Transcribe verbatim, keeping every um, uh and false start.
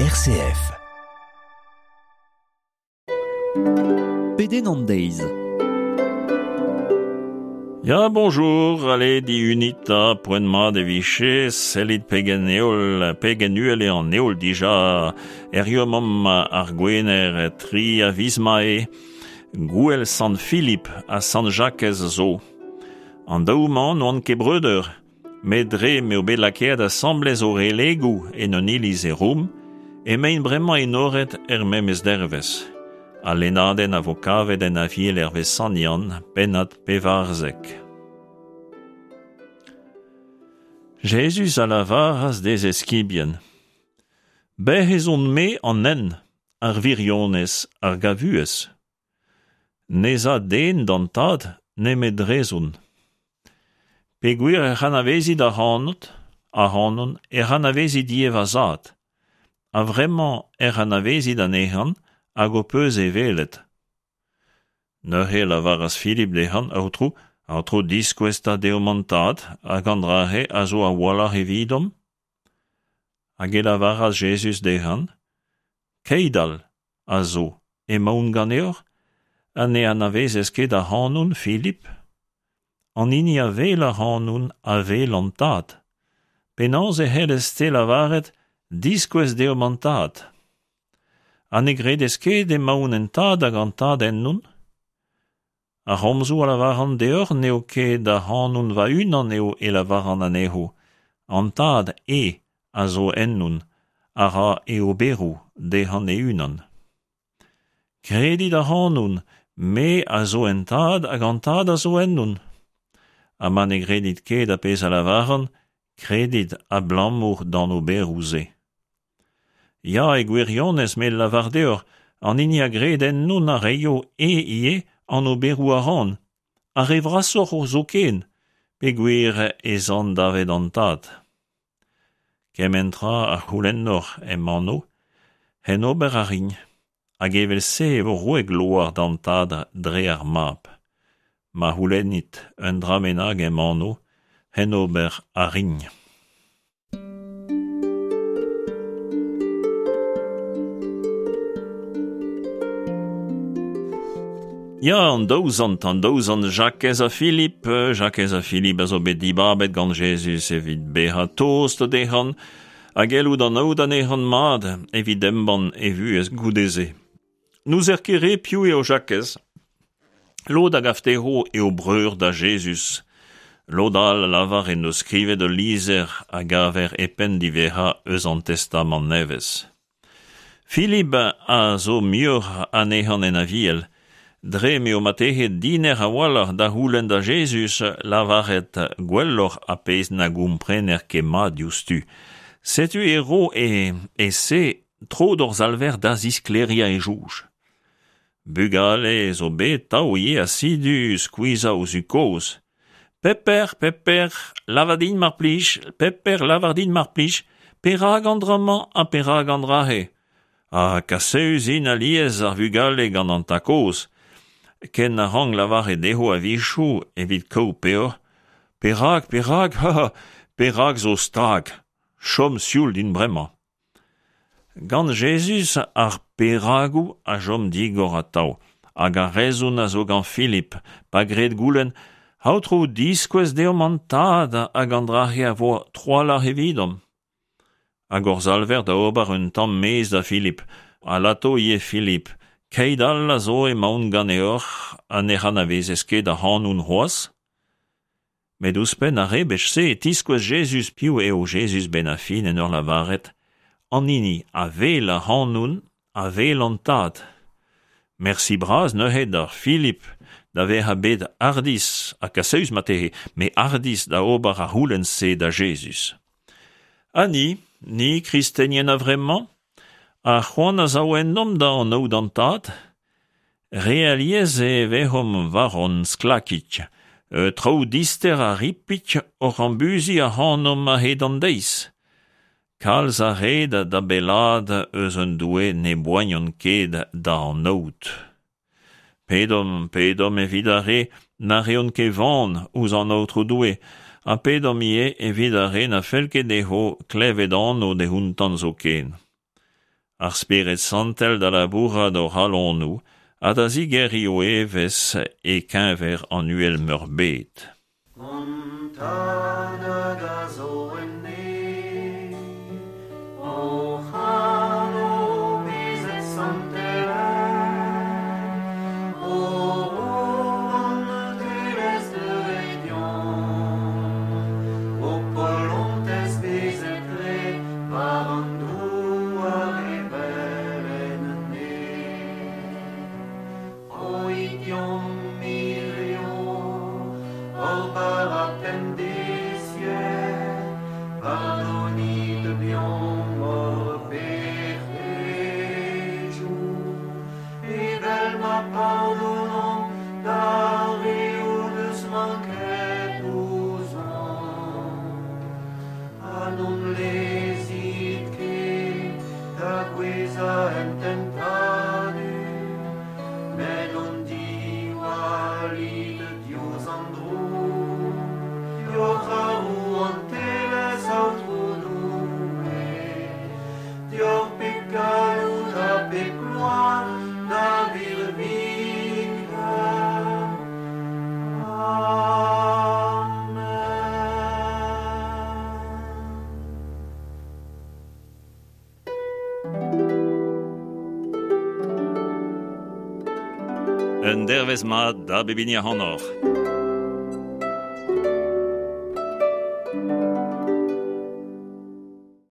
R C F. Pedenn an deiz. Ya, bonjour, allez, di unita, poent mat e vije, sellit pegen eol, pegen uhel eo an eol dija, errio mamm ar gwener tri a viz mae, gouel Sant Philippe ha Sant Jakez zo. An daou-mañ n'oant ket breudeur, met dre m'eo bet lakaet asambles o relegoù en un iliz e Roum, emaint bremañ enoret er memes dervez. Al lennadenn a vo kavet en Aviel hervez Sant Yann, pennad pevarzek. Jezuz a lavaras d'e eskibien. Bec'h ez on-me an hent, ar wirionez, ar gavuez. N'ez a den d'an tad nemet drezon. Peogwir ec'h anavezit ac'hanot, ac'hanon, ec'h anavezit ivez va zad. Ha vremañ ec'h anavezit anezhan hag ho peus e welet. Neuze e lavaras Filip dezhan, Aotrou, Aotrou diskouez 'ta deomp an tad, hag an dra-se a zo a-walc'h evidomp. Hag e lavaras Jezuz dezhan, Keit all a zo, emaon ganeoc'h, ha ne anavezez ket ac'hanon, Filip? An hini a wel ac'hanon a wel an tad. Penaos e c'hellez-te lavaret, diskouez deomp an tad? Ha ne gredez ket emaon en tad hag an tad ennon? Ar c'homzoù a lavaran deoc'h n'eo ket ac'hanon va-unan eo e lavaran anezho. An tad eo a zo ennon, a ra e oberoù dezhan e-unan. Kredit ac'hanon, me a zo en tad hag an tad a zo ennon. Ha ma ne gredit ket ar pezh a lavaran, kredit abalamour d'an oberoù-se. Ya, e gwirionez me lavar deoc'h, an hini a gred ennon a reio e ivez an oberoù a ran, ar re vrasoc'h o zoken, peogwir ez an davet an tad. Kement tra a c'houlennoc'h em anv, hen ober a rin, hag evel-se e vo roet gloar d'an tad dre ar mab. Ma c'houlennit un dra bennak em anv, hen ober a rin. Ya, an daou zant, an daou zant Jakez ha Filip, Jakez ha Filip a zo bet dibabet gant Jezuz evit bezañ tost dezhan, hag gellout anaout anezhan mat evit embann e vuhez goude-se. N'ouzer ket re piv eo Jakez. Lod a gav dezho eo breur da Jezuz. Lod all a lavar en deus skrivet ul lizher a gaver e penn diwezhañ eus an Testamant Nevez. Filip a zo muioc'h anezhan en Aviel, dre m'eo marteze diner a-walc'h da c'houlenn da Jezuz lavaret gwelloc'h ar pezh na gomprener ket mat diouzhtu. Setu e ro e, e se tro d'hor Salver da zisklêriañ e soñj. Bugale zo bet tav ivez asidu skuizhañ o zud-kozh. Pepper, Pepper, lavar din mar plij, Pepper, lavar din mar plij, perak an dra-mañ ha perak an dra-se? Ha kaseüs int alies ar vugale gant an tad-kozh. Ken a rank lavaret dezho a-wechoù evit kaout peoc'h. Perak, perak, ha, ha, perak zo stag? Chom sioul din bremañ. Gant Jezuz ar peragoù a chom digor atav, hag ar rezon a zo gant Filip, pa gred goulenn, Aotrou, diskouez deomp an tad hag an dra-se a vo trawalc'h evidomp. Hag hor Salver da ober un tamm mezh da Filip, ha lato ivez Filip, keit all a zo emaon ganeoc'h ha ne anavezez ket ac'hanon c'hoazh? Met ouzhpenn ar rebech-se e tiskouez Jezuz piv eo Jezuz benn ar fin en ur lavaret, an hini a wel ac'hanon a wel an tad. Mersi bras neuze d'ar Filip da vezañ bet hardizh ha kaseüs marteze, met hardizh da ober ar c'houlenn-se da Jezuz. Ha ni, ni kristenien a-vremañ, ar c'hoant a sav ennomp da anaout an tad? Re alies e vezomp war hon sklakig, traoù dister ha ripik oc'h ambuziñ ac'hanomp a-hed an deiz. Kalz a red da bellaat eus un Doue ne boagnont ket da anaout. Pedomp, pedomp evit ar re na reont ket van ouzh an Aotrou Doue, ha pedomp ivez evit ar re na fell ket dezho klevet anv dehontan zoken. Ar Spered Santel da labourat o c'halonoù ha da zigeriñ o evezh e keñver an uhel meurbet. Hon Tad hag a zo en neñv, hoc'h anv bezet santelaet, ho rouantelezh deuet deomp, ho polontez bezet graet war an douar evel en neñv. Roit deomp hirio hor bara pemdeziek, pardonit deomp hor pec'hedoù, evel ma pardonomp d'ar re o deus manket ouzhomp. Ha n'hon lezit ket da gouezhañ en tentadur, met hon diwallit diouzh an droug. Deoc'h ar rouantelezh, Aotrou Doue, deoc'h pep galloud ha pep gloar da birviken. Amen. Un dervezh mat da bep hini ac'hanoc'h.